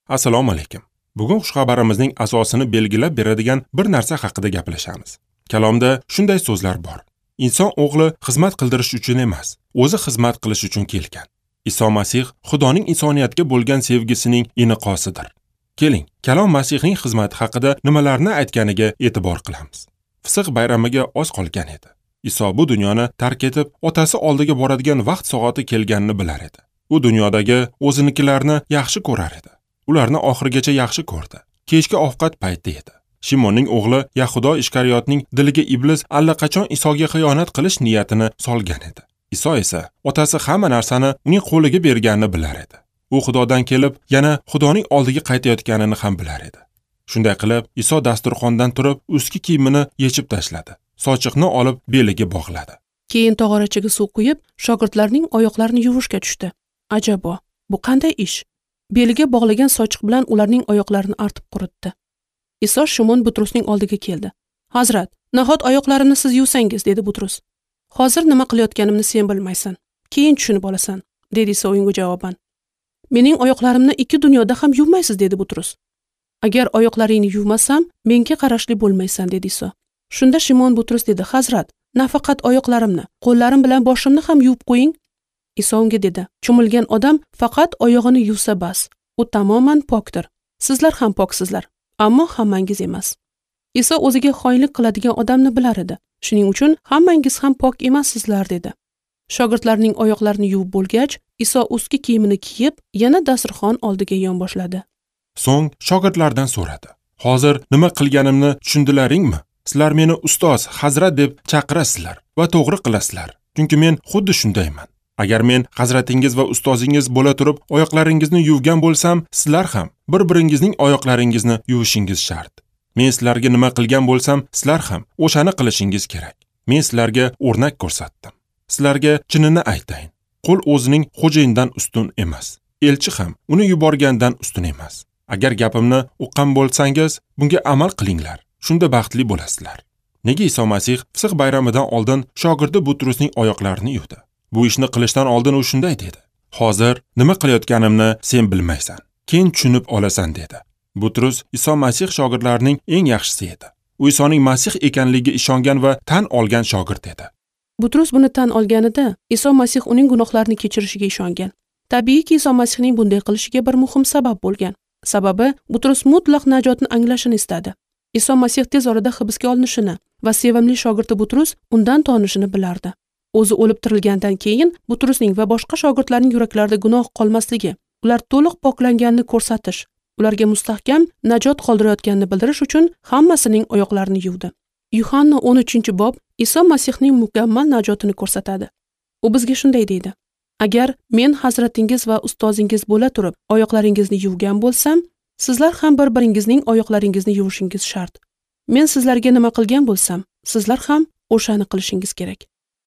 Assalomu alaykum. Bugun xushxabarimizning asosini belgilab beradigan bir narsa haqida gaplashamiz. Kalomda shunday so'zlar bor. Inson o'g'li xizmat qildirish uchun emas, o'zi xizmat qilish uchun kelgan. Iso Masih Xudoning insoniyatga bo'lgan sevgisining iniqosidir. Keling, Kalom Masihning xizmati haqida nimalarni aytganiga e'tibor qilamiz. Fisq bayramiga oz qolgan edi. Iso bu dunyoni tark etib, otasi oldiga boradigan vaqt soati kelganini bilar edi. U dunyodagi o'zinikilarni yaxshi ko'rar edi. Ularni oxirigacha yaxshi ko'rdi. Kechki ovqat payti edi. Shimonning o'g'li Yahudo Ishkariyotning diliga iblis allaqachon Isoga xiyonat qilish niyatini solgan edi. Iso esa otasi hamma narsani uning qo'liga berganini bilar edi. U Xudodan kelib, yana Xudoning oldiga qaytayotganini ham bilar edi. Shunday qilib, Iso dasturxondan turib, ustki kiyimini yechib tashladi. Sochiqni olib beliga bog'ladi. Keyin tog'orachaga suv quyib, shogirdlarning oyoqlarini yuvishga tushdi. Ajabo, bu qanday ish? Beliga bog'lagan sochiq bilan ularning oyoqlarini artib quritdi. Iso Shimon Butrusning oldiga keldi. "Hazrat, nahot oyoqlarimni siz yuvsangiz?" dedi Butrus. "Hozir nima qilayotganimni sen bilmaysan. Keyin tushunib olasan", dedi Iso unga javoban. "Mening oyoqlarimni ikki dunyoda ham yuvmaysiz", dedi Butrus. "Agar oyoqlaringni yuvmasam, menga qarashli bo'lmaysan", dedi Iso. Shunda Shimon Butrus dedi: "Hazrat, nafaqat oyoqlarimni, qo'llarim bilan boshimni ham yuvib qo'ying." Iso unga dedi: "Cho'milgan odam faqat oyog'ini yuvsa bas, u tamoman pokdir. Sizlar ham poksizlar, ammo hammangiz emas." Iso o'ziga xoinlik qiladigan odamni bilar edi. Shuning uchun hammangiz ham pok emassizlar, dedi. Shogirdlarning oyoqlarini yuvib bo'lgach, Iso ustki kiyimini kiyib, yana dasturxon oldiga yon boshladi. So'ng shogirdlardan so'radi: "Hozir nima qilganimni tushundilaringmi? Sizlar meni ustoz, hazrat deb chaqirasizlar va to'g'ri qilasizlar, chunki men xuddi shundayman. Agar men hazratingiz va ustozingiz bo'la turib oyoqlaringizni yuvgan bo'lsam, sizlar ham bir-biringizning oyoqlaringizni yuvishingiz shart. Men sizlarga nima qilgan bo'lsam, sizlar ham o'shani qilishingiz kerak. Men sizlarga o'rnak ko'rsatdim. Sizlarga chinini aytayin. Qul o'zining xo'jayinidan ustun emas, elchi ham uni yuborgandan ustun emas. Agar gapimni uqqan bo'lsangiz, bunga amal qilinglar. Shunda baxtli bo'lasizlar." Nega Iso Masih Fisq bayramidan oldin shogirdi Butrusning oyoqlarini yuvdi? Bu ishni qilishdan oldin u shunday dedi: "Hozir nima qilayotganimni sen bilmaysan, keyin tushunib olasan", dedi. Butrus Iso Masih shogirdlarining eng yaxshisi edi. U Isoning Masih ekanligiga ishongan va tan olgan shogird edi. Butrus buni tan olganida Iso Masih uning gunohlarini kechirishiga ishongan. Tabiiyki, Iso Masihning bunday qilishiga bir muhim sabab bo'lgan. Sababi, Butrus mutlaq najotni anglashini istadi. Iso Masih tez orada hibsga olinishini va sevimli shogirdi Butrus undan tonishini bilardi. O'zi o'lib tirilgandan keyin Butrusning va boshqa shogirdlarning yuraklarida gunoh qolmasligi, ular to'liq poklanganini ko'rsatish, ularga mustahkam najot qoldirayotganini bildirish uchun hammasining oyoqlarini yuvdi. Yuhanna 13-bob Iso Masihning mukammal najotini ko'rsatadi. U bizga shunday deydi: "Agar men hazratingiz va ustozingiz bo'la turib oyoqlaringizni yuvgan bo'lsam, sizlar ham bir-biringizning oyoqlaringizni yuvishingiz shart. Men sizlarga nima qilgan bo'lsam, sizlar ham o'shani qilishingiz kerak."